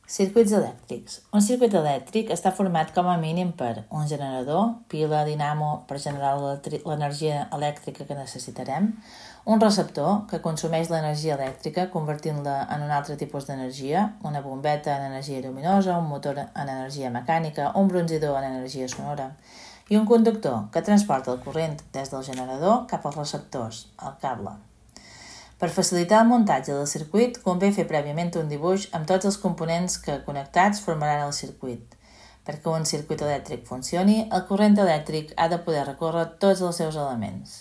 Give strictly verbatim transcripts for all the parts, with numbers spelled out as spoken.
Circuits elèctrics. Un circuit elèctric està format com a mínim per un generador, pila, dinamo per generar l'energia elèctrica que necessitarem, un receptor que consumeix l'energia elèctrica convertint-la en un altre tipus d'energia, una bombeta en energia lluminosa, un motor en energia mecànica, un bronzidor en energia sonora, i un conductor que transporta el corrent des del generador cap als receptors, el cable. Per facilitar el muntatge del circuit, convé fer prèviament un dibuix amb tots els components que connectats formaran el circuit. Perquè un circuit elèctric funcioni, el corrent elèctric ha de poder recórrer tots els seus elements.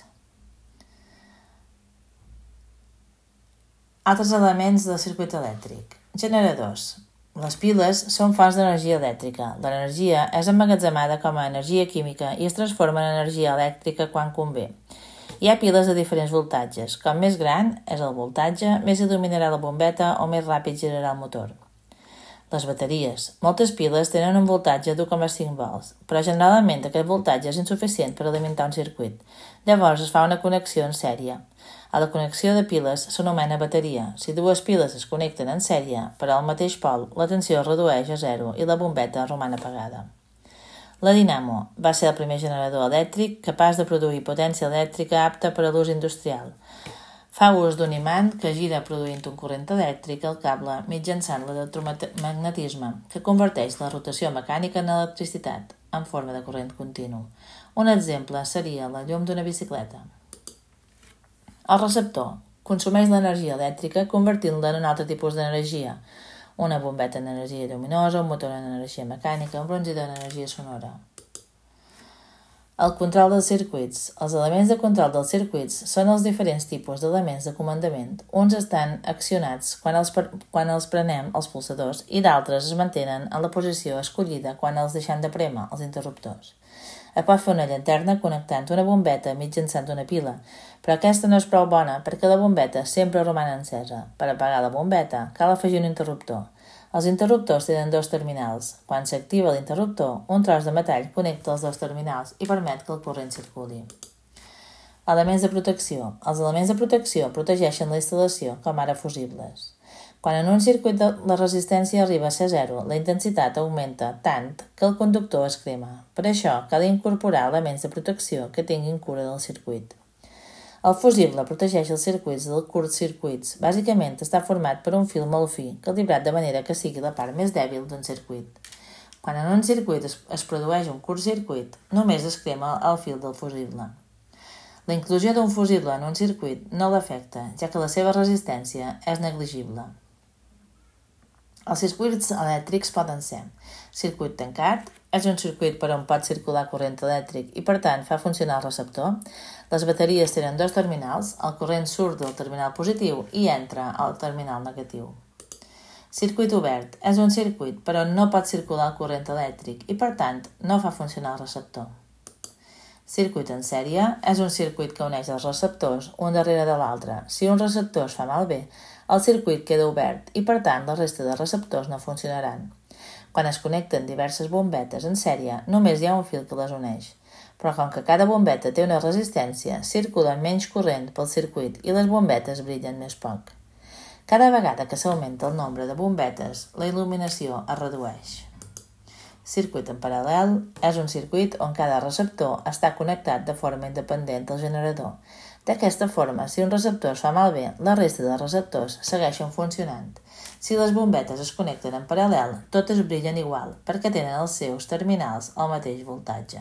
Altres elements del circuit elèctric. Generadors. Les piles són fonts d'energia elèctrica. L'energia és emmagatzemada com a energia química i es transforma en energia elèctrica quan convé. Hi ha piles de diferents voltatges. Com més gran és el voltatge, més il·luminarà la bombeta o més ràpid girarà el motor. Les bateries. Moltes piles tenen un voltatge d'u coma cinc volts, però generalment aquest voltatge és insuficient per alimentar un circuit. Llavors es fa una connexió en sèrie. A la connexió de piles s'anomena bateria. Si dues piles es connecten en sèrie per al mateix pol, la tensió es redueix a zero i la bombeta roman apagada. La dinamo va ser el primer generador elèctric capaç de produir potència elèctrica apta per a l'ús industrial. Fa ús d'un imant que gira produint un corrent elèctric al cable mitjançant l'electromagnetisme, que converteix la rotació mecànica en electricitat, en forma de corrent continu. Un exemple seria la llum d'una bicicleta. El receptor consumeix l'energia elèctrica convertint-la en un altre tipus d'energia, una bombeta en energia lluminosa, un motor en energia mecànica, un bronzidor en energia sonora. El control dels circuits. Els elements de control dels circuits són els diferents tipus d'elements de comandament. Uns estan accionats quan els, quan els prenem els pulsadors i d'altres es mantenen en la posició escollida quan els deixem de prémer, els interruptors. Es pot fer una llanterna connectant una bombeta mitjançant una pila, però aquesta no és prou bona perquè la bombeta sempre roman encesa. Per apagar la bombeta cal afegir un interruptor. Els interruptors tenen dos terminals. Quan s'activa l'interruptor, un tros de metall connecta els dos terminals i permet que el corrent circuli. Elements de protecció. Els elements de protecció protegeixen la instal·lació, com ara fusibles. Quan en un circuit la resistència arriba a ser zero, la intensitat augmenta tant que el conductor es crema. Per això, cal incorporar elements de protecció que tinguin cura del circuit. El fusible protegeix els circuits del curtcircuits. Bàsicament està format per un fil molt fi, calibrat de manera que sigui la part més dèbil d'un circuit. Quan en un circuit es, es produeix un curtcircuit, només es crema el fil del fusible. La inclusió d'un fusible en un circuit no l'afecta, ja que la seva resistència és negligible. Els circuits elèctrics poden ser: circuit tancat, és un circuit per on pot circular corrent elèctric i per tant fa funcionar el receptor. Les bateries tenen dos terminals, el corrent surt del terminal positiu i entra al terminal negatiu. Circuit obert, és un circuit per on no pot circular el corrent elèctric i per tant no fa funcionar el receptor. Circuit en sèrie és un circuit que uneix els receptors un darrere de l'altre. Si un receptor es fa malbé, el circuit queda obert i per tant la resta de receptors no funcionaran. Quan es connecten diverses bombetes en sèrie, només hi ha un fil que les uneix. Però com que cada bombeta té una resistència, circula menys corrent pel circuit i les bombetes brillen més poc. Cada vegada que s'augmenta el nombre de bombetes, la il·luminació es redueix. Circuit en paral·lel és un circuit on cada receptor està connectat de forma independent al generador. D'aquesta forma, si un receptor es fa malbé, la resta de receptors segueixen funcionant. Si les bombetes es connecten en paral·lel, totes brillen igual, perquè tenen els seus terminals al mateix voltatge.